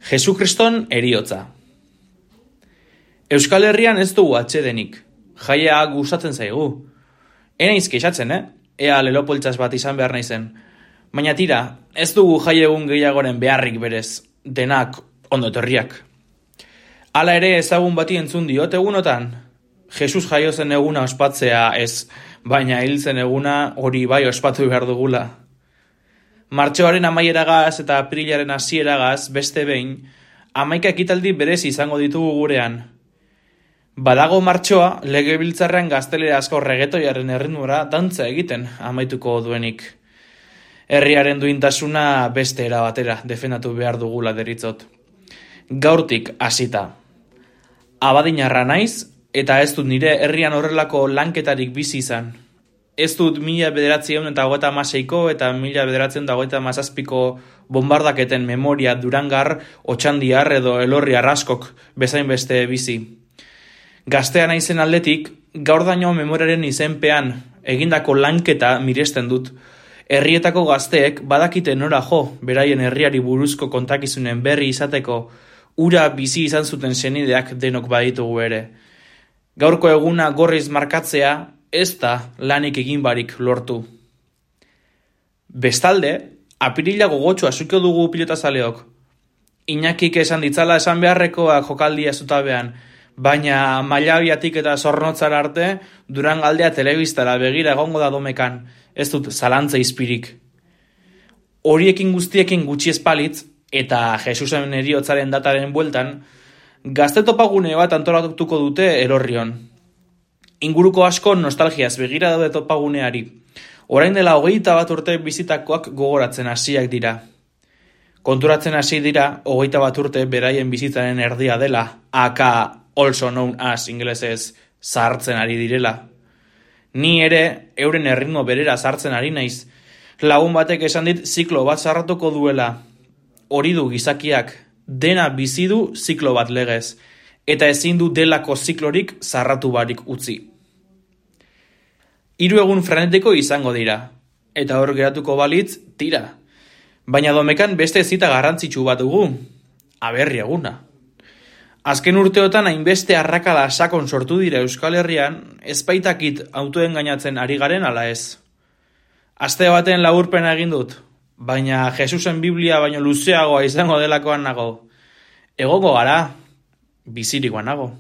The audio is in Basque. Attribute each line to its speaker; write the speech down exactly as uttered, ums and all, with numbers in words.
Speaker 1: Jesukriston eriotza. Euskal Herrian ez dugu atsedenik. Jaia gustatzen zaigu. Enaiz kexatzen, eh? Ea lelopoltsaz bat izan behar naizen. Baina tira, ez dugu jai egun gehiagoren beharrik berez. Denak ondo etorriak. Hala ere ezagun bati entzun diot egunotan. Jesus jaio zen eguna ospatzea ez, baina hil zen eguna hori bai ospatu behar dugula. Martxoaren amaieragaz eta aprilaren hasieragaz beste behin, hamaika ekitaldi berez izango ditugu gurean. Badago martxoa, legebiltzarrean gaztelerazko regetoiaren erritmora dantza egiten amaituko duenik. Herriaren duintasuna beste era batera defendatu behar dugula deritzot. Gaurtik hasita. Abadinarra naiz, eta ez dut nire herrian horrelako lanketarik bizi izan. Ez dut mila bederatziehun eta hogeita hamaseiko eta mila bederatziehun eta hogeita hamazazpiko bombardaketen memoria Durangar, Otxandiar edo Elorri Arraskok bezain beste bizi. Gaztea naizen aldetik, gaur daño memoriaren izenpean egindako lanketa miresten dut. Herrietako gazteek badakite nora jo, beraien herriari buruzko kontakizunen berri izateko, ura bizi izan zuten senideak denok baditugu ere. Gaurko eguna gorriz markatzea, ez da lanik egin barik lortu. Bestalde, apirila gogotxoa zuko dugu pilotazaleok. Iñakik esan ditzala esan beharrekoak jokaldia zutabean, baina Mailabiatik eta Zornotzara arte Durangaldea telebistara begira egongo da domekan, ez dut zalantza izpirik. Horiekin guztiekin gutxi espalitz, eta Jesusen heriotzaren dataren bueltan, gazte topagune bat antolatuko dute Elorrion. Inguruko asko nostalgiaz begira daude topaguneari. Orain dela hogeita bat urte bizitakoak gogoratzen hasiak dira. Konturatzen hasi dira hogeita bat urte beraien bizitzaren erdia dela, aka also known as ingelesez sartzen ari direla. Ni ere euren erritmo berera sartzen ari naiz. Lagun batek esan dit ziklo bat sarratuko duela. Hori du gizakiak, dena bizi du ziklo bat legez, eta ezin du delako ziklorik zarratu barik utzi. Hiru egun frenetiko izango dira, eta hor geratuko balitz, tira. Baina domekan beste zita garrantzitsu bat dugu, aberri eguna. Azken urteotan hainbeste arrakala sakon sortu dira Euskal Herrian, ezbaitakit autoen gainatzen ari garen ala ez. Aste baten laburpena egin dut, baina Jesusen Biblia baino luzeagoa izango delakoan nago. Egongo gara, bizirikoan nago.